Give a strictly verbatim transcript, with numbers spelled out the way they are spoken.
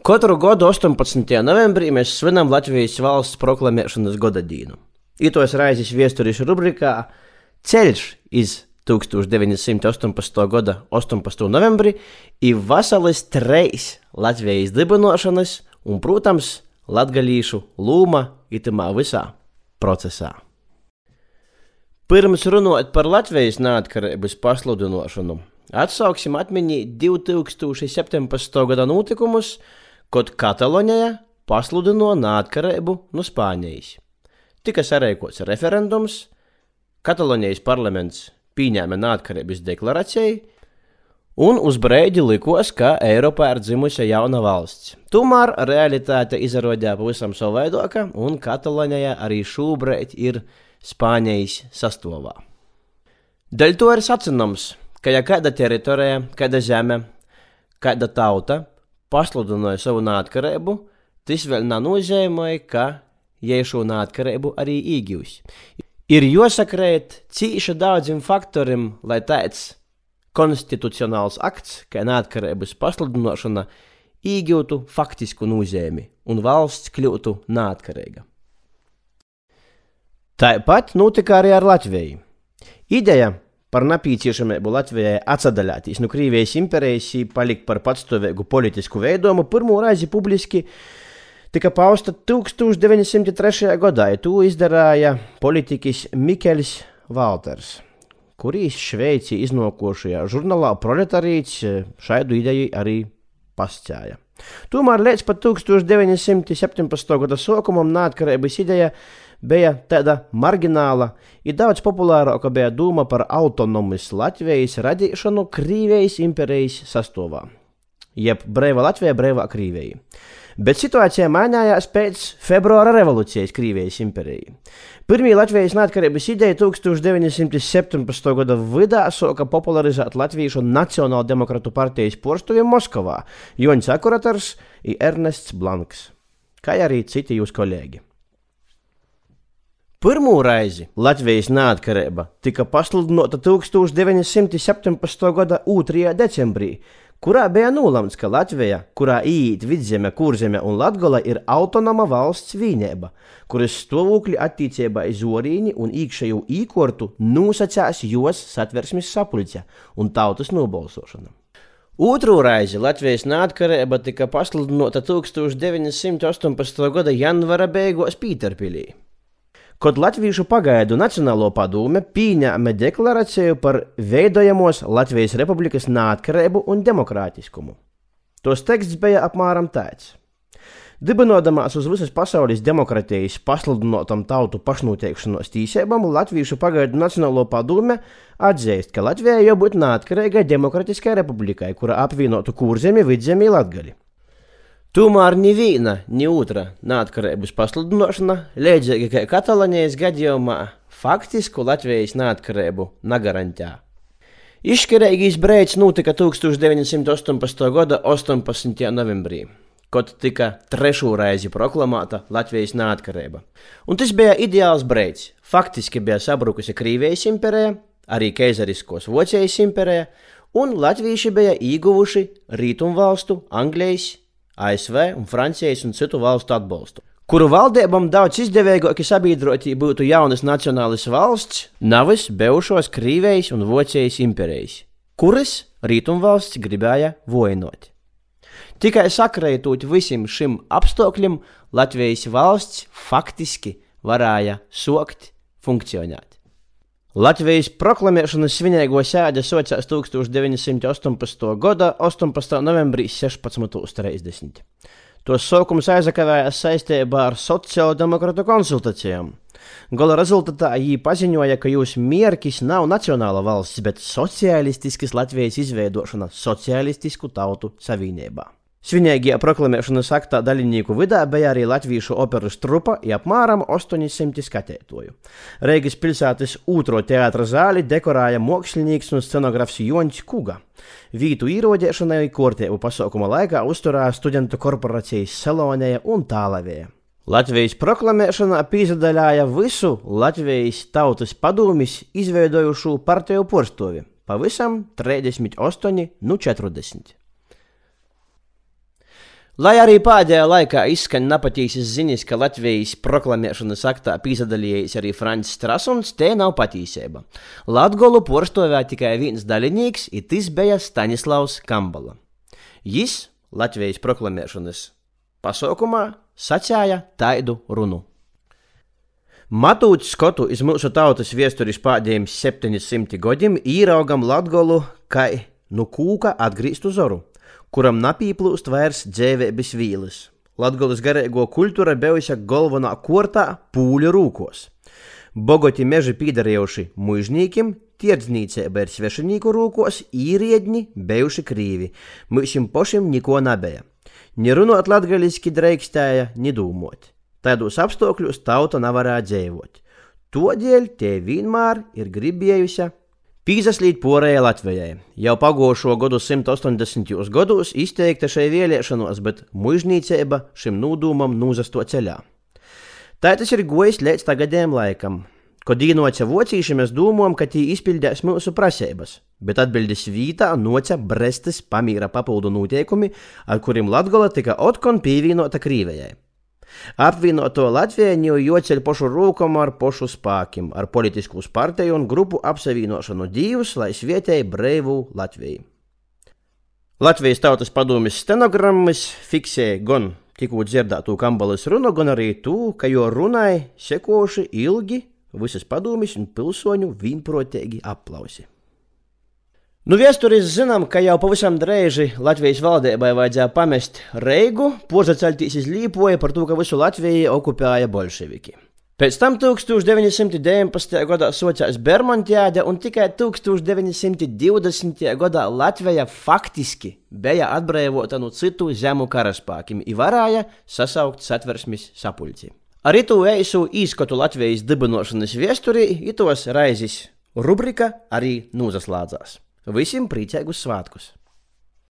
Katru gadu astoņpadsmitajā novembrī mēs svinam Latvijas valsts proklamēšanas godadīnu. Itos raizes viesturišu rubrikā Ceļš iz tūkstoš deviņi simti ostoņpadsmitā gada ostoņpadsmitajā novembrī ir vasalis treis Latvijas dibinošanas un, protams, latgalīšu lūma itamā visā procesā. Pirms runāt par Latvijas neatkarības pasludinošanu, atsauksim atmiņā divi tūkstoši septiņpadsmitā gada notikumus, kad Katalonijā pasludino neatkarību no Spānijas. Tika sarīkots referendums, Katalonijas parlaments pieņēma neatkarības deklarāciju, un uz breidi likos, ka Eiropā ir dzimusi jauna valsts. Tomēr realitāte izrādījās pavisam savaidoka, un Katalonijā arī šobrīd ir Spānijas sastāvā. Dēļ to ir sacināms, ka ja kāda teritorija, kāda zeme, kāda tauta pasludināja savu neatkarību, tas vēl nenozīmē, ka jie šo neatkarību arī iegūs. Ir jāsakrīt cīši daudziem faktoriem, lai tāds konstitucionāls akts, kā neatkarības pasludināšana, iegūtu faktisku nozīmi un valsts kļūtu neatkarīga. Tāpat notika arī ar Latviju. Ideja par nepieciešamību Latvijai atsadaļāties no Krievijas imperijas un palikt par patstāvīgu politisku veidojumu pirmo reizi publiski tika pausta tūkstoš deviņi simti trešajā gadā. To izdarīja politiķis Mikls Valters, kurīs Šveicī iznākošajā žurnālā Proletarīts šādu ideju arī pastāja. Tomēr līdz pat tūkstoš deviņi simti septiņpadsmitā gada sākumam neatkarības ideja bija tāda margināla, ir daudz populārāka bija doma par autonomas Latvijas radīšanu Krievijas imperijas sastāvā, jeb brīva Latvija, brīvā Krievija. Bet situācija mainījās pēc februāra revolūcijas Krievijas imperijā. Pirmī Latvijas neatkarības ideja tūkstoš deviņi simti septiņpadsmitā gada vidā sāka popularizēt Latviešu Nacionālo demokratu partijas porštuvi Moskavā Joņs Akuratars un Ernests Blanks, kā arī citi jūs kolēģi. Pirmo reizi Latvijas neatkarība tika pasludināta tūkstoš deviņi simti septiņpadsmitā gada otrajā decembrī, kurā bija nolēmts, ka Latvija, kurā iet Vidzeme, Kurzeme un Latgola, ir autonoma valsts vienība, kuras stāvokļi attiecībā uz orīni un iekšējo īkortu nosacās jos Satversmes sapulce un tautas nobalsošana. Otru reizi Latvijas neatkarība tika pasludināta tūkstoš deviņi simti ostoņpadsmitā gada janvara beigās Pīterpilī, kad Latviešu pagaidu Nacionālo padome pieņēma deklarāciju par veidojamos Latvijas Republikas neatkarību un demokrātiskumu. Tos teksts bija apmēram tāds: dibinodamās uz visas pasaules demokratijas pasludinātam tautu pašnoteikšanos tīsībām, Latviešu pagaidu Nacionālo padome atzīst, ka Latvijai jābūt neatkarīgai demokratiskai republikai, kura apvienotu Kurzemi, Vidzemi un Latgali. Tomēr ni viena, ni otra neatkarības pasludināšana, līdzīgi kā Katalonijas gadījumā, faktisku Latvijas neatkarību negarantē. Izšķirīgais brīdis notika tūkstoš deviņi simti ostoņpadsmitā gada ostoņpadsmitajā novembrī, kad tika trešo reizi proklamēta Latvijas neatkarība. Un tas bija ideāls brīdis. Faktiski bija sabrukusi Krievijas imperija, arī keizariskos Vācijas imperija, un latvieši bija ieguvuši Rietumvalstu, Anglijas, A S V un Francijas un citu valstu atbalstu, kuru valdībām daudz izdevīgāki sabiedroti būtu jaunas nacionālas valsts, nevis bijušos Krievijas un Vācijas imperijas, kuras Rietumvalsts gribēja vojinot. Tikai sakrētot visiem šim apstākļiem, Latvijas valsts faktiski varēja sākt funkcionēt. Latvijas proklamēšanas svinīgo sēde sākās tūkstoš deviņi simti ostoņpadsmitā gada ostoņpadsmitā novembrī sešpadsmit trīsdesmit. Tos sākums aizakavējās saistībā ar sociāldemokrātu konsultācijām. Gala rezultātā viņi paziņoja, ka jūsu mērķis nav nacionāla valsts, bet sociālistiskas Latvijas izveidošana sociālistisku tautu savienībā. Svinīgajā proklamēšanas aktā dalībnieku vidū bija arī latviešu operas trupa un apmēram astoņi simti skatītāju. Reigas pilsētas otro teātra zāli dekorēja mākslinieks un scenografs Joņs Kuga. Vītu īrodēšanai kārtību pasākuma laikā uzturēja studentu korporācijas Salonēja un Tālavē. Latvijas proklamēšanā piedalījās visu Latvijas tautas padomes izveidojušu partiju porštovi, pavisam trīsdesmit astoņi no četrdesmit. Lai arī pēdējā laikā izskaņ napatīsas ziņas, ka Latvijas proklamēšanas aktā pīsadalījis arī Francis Strasuns, te nav patīseiba. Latgolu porstovēja tikai viens daļinīgs, i tis beja Staņislavs Kambala. Jis Latvijas proklamēšanas pasaukumā sacēja taidu runu. Matūt skotu iz mūsu tautas viesturis pēdējiem septiņsimt godim īraugam Latgolu kai nu kūka atgrīstu zoru, kuram napīplūst vairs dzēvēbis vīlis. Latgolas garīgo kultūra bijusi galvenā kortā pūļu rūkos. Bogoti meži pīdarējuši mužnīkim, tirdzniecība ir svešinīku rūkos, īriedņi bijuši krīvi. Mūsim pošim niko nebija. Ni runot latgaliski dreikstēja, ni dūmot. Taidos apstākļos tauta nevarēja dzīvot. Todēļ te vienmēr ir gribējusi pīzaslīt porēja Latvijai. Jau pagošo godu simt ostoņdesmitajos gados izteikta šai vēlēšanos, bet mužnīcība šim nūdūmam nūzasto ceļā. Tā tas ir gojis līdz tagadējiem laikam. Kad īnoca vocīši, mēs domājam, ka tī izpildēs mūsu prasības, bet atbildes vītā noca Brestes pamīra papildu noteikumi, ar kuriem Latgola tika otkon pīvīnota Krīvijai. Apvienoto Latvijai jau joceļ pošu rūkom ar pošu spākim, ar politiskus partiju un grupu apsavīnošanu divus, lai svietēja breivu Latviju. Latvijas tautas padomis stenogrammas fiksēja gan tikko dzirdētū Kambalas runu, gan arī tū, ka jo runai sekoši ilgi visas padomis un pilsoņu vienprotīgi aplausi. Nu, viesturis zinām, ka jau pavisam dreiži Latvijas valdībai vajadzēja pamest Reigu, pozaceļtīs iz Līpoju par to, ka visu Latviju okupēja bolševiki. Pēc tam tūkstoš deviņi simti deviņpadsmitajā gadā socās Bermontiāde un tikai tūkstoš deviņi simti divdesmitajā gadā Latvija faktiski bija atbrīvota no citu zemu karaspākiem i varēja sasaukt Satversmes sapulci. Ar itu eisu īskatu Latvijas dibinošanas viesturī itos raizis rubrika arī nūzaslādzās. Visiem priecīgus svātkus!